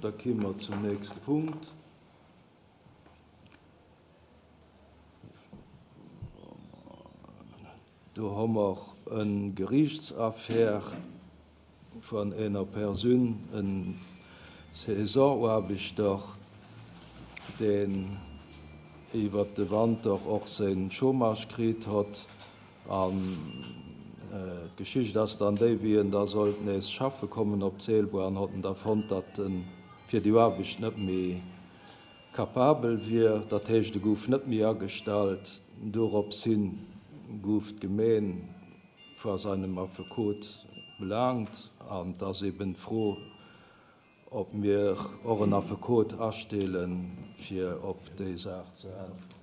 Da ki mer zum nächste Punkt. Do hu mer e Geriichtsaffär vun ener Persoun, e Saisonaarbechter, deen iwwert de Wanter och säi Chômage kritt hott. An d'Geschicht ass dann déi, wéi en da sollt nees schaffe kommen op d'Seelbuer an hott en da fonnt, datt en fir déi Aarbecht net méi capabel wier. Dat heescht, e gouf net méi agestallt. Dorops hin gouf d'Gemeen vor seinem Affekot belaangt an et ass eben d'Fro, ob mir och en Affekot astelen, fir op déi Saach ze äntweren.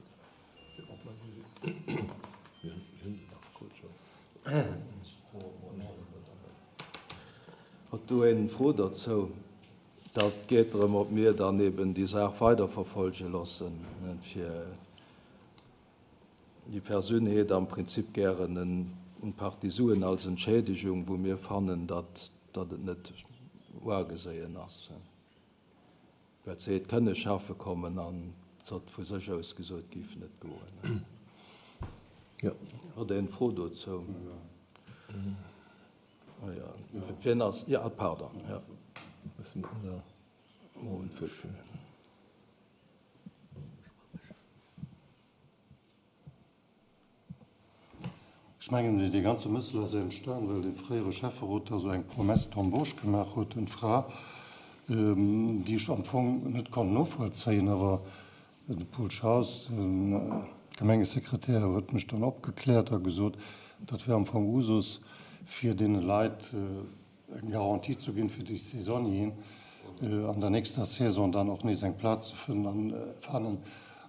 Huet do een Fro dozou? Dat geet drëm, ob mir dann eben déi Saach weiderverfolge loossen, fir déi Persoun heet am Prinzip gären eng Partie Suen als Entschädigung, wou mir fannen, datt et net uageséien ass. Well se hätt kënne schaffe kommen an se huet vu sech aus gesot, et géif net goen. Huet een Fro dozou? Wien ass? Jo, pardon. Ech mengen, dee ganze Mëssel ass entstan, well dee fréiere Schäfferot da sou eng Promesse d'embauche gemaach huet un d'Fra, déi ech am Fong net konnt novollzéien. Awer de Paul Schaus, de Gemengesekretär, huet mech dann opgekläert a gesot, dat wär am Fong Usus, fir deene Leit eng Garantie ze ginn, fir déi Saisonnieren an der nächster Saison dann och nees eng Plaz ze fannen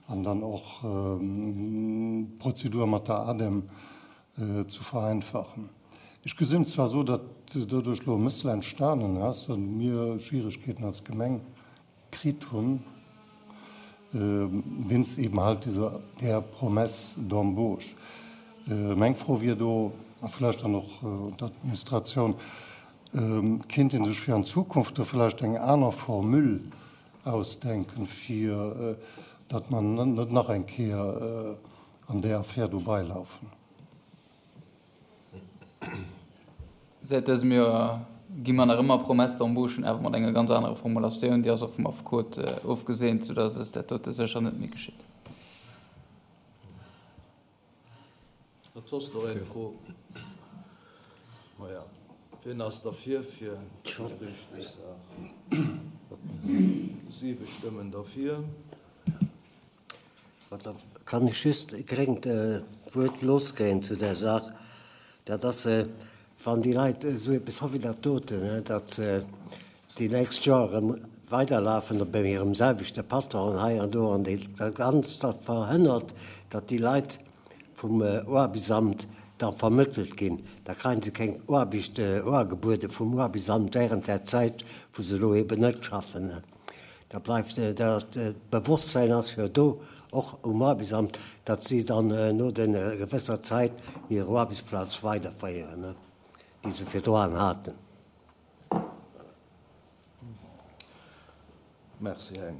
an dann och d'Prozedur mat der ADEM ze vereinfachen. Ech gesinn zwar esou, datt doduerch elo e Mëssel entstanen ass a mir Schwieregkeeten als Gemeng kritt hunn, wéinst eben halt dieser, där Promesse d'embauche. Meng Fro wier do, a vläicht dann och un d'Administratioun, Kéint ee sech fir an Zukunft do vläicht eng aner Formule ausdenken, fir datt mer net nach eng Kéier an där Affär do beilaufen? Säit dësem Joer gi mer nach ëmmer Promesse d'embauchen, awer mat enger ganz anerer Formulatioun. Déi ass och vum Affekot ofgeseent, soudass eis dat dote sécher net méi geschitt. Huet soss nach een Fro? Maja, wien ass derfir fir d'Geriichtssaach? Siwe Stëmmen derfir. Da kann ech just e klengt Wuert loskréien zu där Saach. Dat ass, wann déi Leit esou eppes hu wéi dat doten, datt se déi nächst Joer erëm weiderlafen bei hirem selwechte Patron hei an do an dat Ganzt da verhënnert, datt déi Leit vum Aarbechtsamt da vermëttelt ginn. Da kréie se keng Aarbecht uagebuede vum Aarbechtsamt während där Zäit, wou se elo eben net schaffen. Da bleift dat Bewosstsäin ass jo do, och um Aarbechtsamt, datt si dann no der gewësser Zäit hir Aarbechtsplaz weiderféieren, déi se virdroan haten. Merci, Heng.